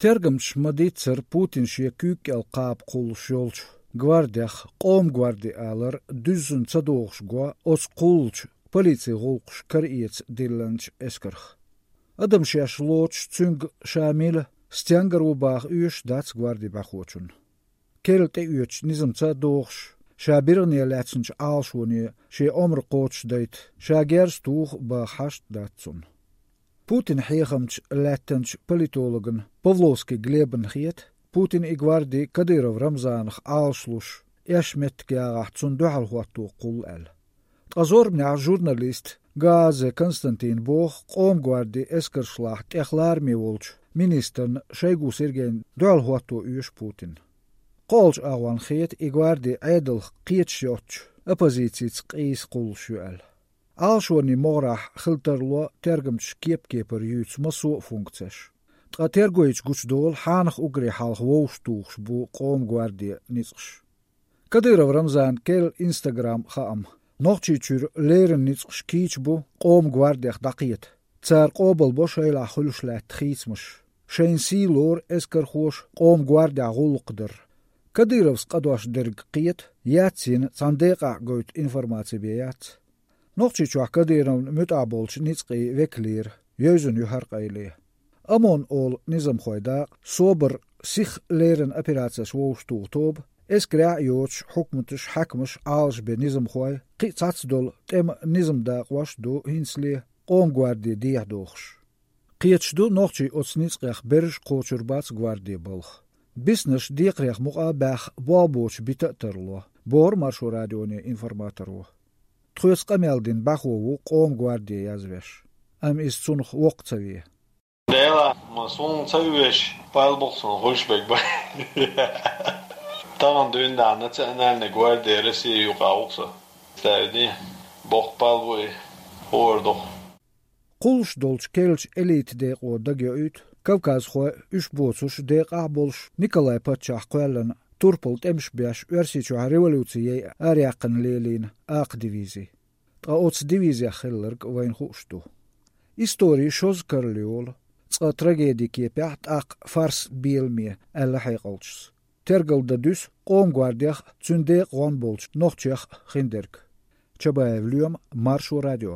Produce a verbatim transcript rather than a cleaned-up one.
Тергамчаша ма-дийццара Путина шен куьйга кӀел кхаба кхуллуш йолчу гвардех Къоман гварди алар дуьззина ца догӀуш го оцу кхуллучу полицин гӀуллакхаш караэца диллинчу эскарх. Адам шаьш лоцуш, цуьнга ша мила, стенгара ву баха оьшуш дац гвардин бӀаьхочунна. Керла тӀеоьцучу низамца а догӀуш, ша биргӀане лаьцначу Ӏалашоне шен омра кхочушдайта, ша герз туху баха хьашт дац цунна. Путинан хьехамча лаьттинчу политологна Павловский Глебна хета, Путин и гварди Кадыров Рамзанах Ӏалашлуш, эшна меттиг ягӀахь, цунна дуьхьал хӀотто кхуллу аьлла. Ткъа зорбанехь журналист, Гаазе Константина боху Къоман гвардин эскаршлахь тӀех лараме волчу министрна Шойгу Сергейна дуьхьал хӀотто оьшу Путинна. КхоалгӀачу агӀонна хета и гварди Ӏедалх кхеташ йоцчу оппозицица къийса кхуллуш ю аьлла. Ӏалашонийн могӀарехь хила тарло тергамчаша кеп-кепара юьйцу массо а функцеш. Ткъа тергойчу гучудолу хьанах уггаре хьалха вовшахтухуш бу Къоман гвардин ницкъаш. Кадыров Рамзанан керла Instagram хаам: «Нохчийчуьра леррина ницкъаш кийча бу Къоман гвардех дӀакхета. Цара къобалбо шайлахь хуьлуш лаьтта хийцамаш. Шайна сий лору эскархоша Къоман гвардехь гӀуллакх дар. Кадыровс къа дош дерг кхета, яц йина цхьана декъахь гойту информаци бен яц». Нохчийчохь Кадыровна муьтӀахь болчу ницкъийн векалера йевзина ю хӀара къайле. ОМОН олу низамхойн дакъа, СОБР, сиха леррина операцеш вовшахтуху тоба, эскарехь а йоцуш, хьукматаш, хьаькамаш, Ӏалашбен низамхой, кхин а цхьацца долу тӀеман низаман дакъош а ду хӀинцале Къоман гварди дехьадохуш. Кхеташ ду, нохчий оцу ницкъех берриш а кхочур бац гварди балха. Биснарш декхарех мукъа а баьхна, болх боцуш бита а тарло, бохура Маршо радионе информаторо. Тхоьца къамел дина бӀаьхо ву Къоман гварди язвеш, амма иза цунах воккха ца ве. Дела, ма суна ца веш, пал бу-кх суна хуьлуш берг бен. Тахана дуьйна национальный гвардия России юкъахь ву-кх со. Ставиди, боккха пал бу и, хӀора ду-кх. Кхуллуш долчу керлачу элитан декъо дагайоуьйту кавказхой, уьш боцурш декъахь а болуш, Николай паччахь кхоьллина турпал тӀемаш беш, Оьрсийчохь революци яйа араяьккхина лелийна акха дивизи. Ткъа оцу дивизех хилларг вайна хууш ду. Истори шозза карла йолу, цкъа трагеди кепехь, тӀаккха фарс беламе, аьлла хьекъалчаша. Тергал дан дуьсу Къоман гвардех а, цуьнан декъа гӀон болчу нохчех а хиндерг. Чабаев Лоьма, Маршо радио.